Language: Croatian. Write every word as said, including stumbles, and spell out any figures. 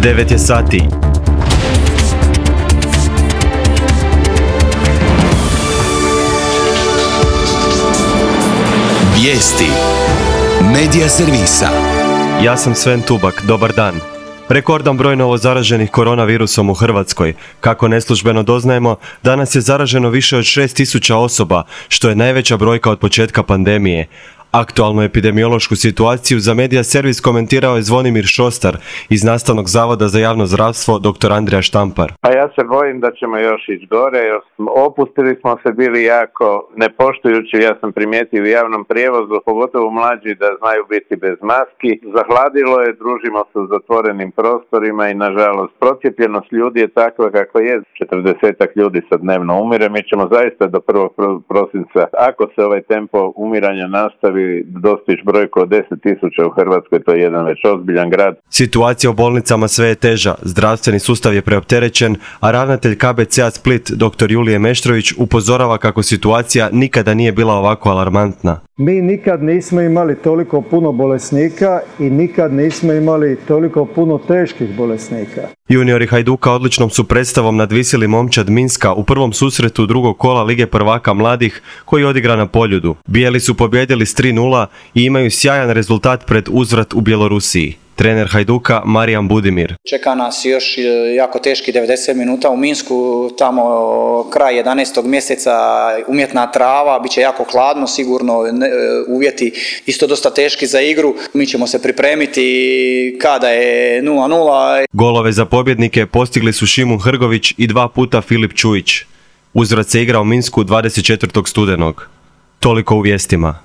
devet je sati. Vijesti Medija servisa. Ja sam Sven Tubak, dobar dan. Rekordan broj novozaraženih koronavirusom u Hrvatskoj. Kako neslužbeno doznajemo, danas je zaraženo više od šest tisuća osoba, što je najveća brojka od početka pandemije. Aktualnu epidemiološku situaciju za Medija servis komentirao je Zvonimir Šostar iz Nastavnog zavoda za javno zdravstvo dr. Andrija Štampar. Pa ja se bojim da ćemo još ići gore, jer opustili smo se bili jako nepoštujući, ja sam primijetio u javnom prijevozu, pogotovo mlađi da znaju biti bez maski. Zahladilo je, družimo se u zatvorenim prostorima i nažalost procijepljenost ljudi je takva kako je. četrdesetak ljudi sad dnevno umire, mi ćemo zaista do prvog prosinca, ako se ovaj tempo umiranja nastavi, dostići brojku od deset tisuća u Hrvatskoj, to je jedan već ozbiljan grad. Situacija u bolnicama sve je teža, zdravstveni sustav je preopterećen, a ravnatelj K B C-a Split dr. Julije Meštrović upozorava kako situacija nikada nije bila ovako alarmantna. Mi nikad nismo imali toliko puno bolesnika i nikad nismo imali toliko puno teških bolesnika. Juniori Hajduka odličnom su predstavom nadvisili momčad Minska u prvom susretu drugog kola Lige prvaka mladih koji odigra na Poljudu. Bijeli su pobijedili s tri nula i imaju sjajan rezultat pred uzvrat u Bjelorusiji. Trener Hajduka Marijan Budimir. Čeka nas još jako teški devedeset minuta u Minsku, tamo kraj jedanaestog mjeseca, umjetna trava, bit će jako hladno, sigurno uvjeti isto dosta teški za igru. Mi ćemo se pripremiti kada je nula nula. Golove za pobjednike postigli su Šimun Hrgović i dva puta Filip Čujić. Uzvrat se igra u Minsku dvadeset četvrtog studenog. Toliko u vijestima.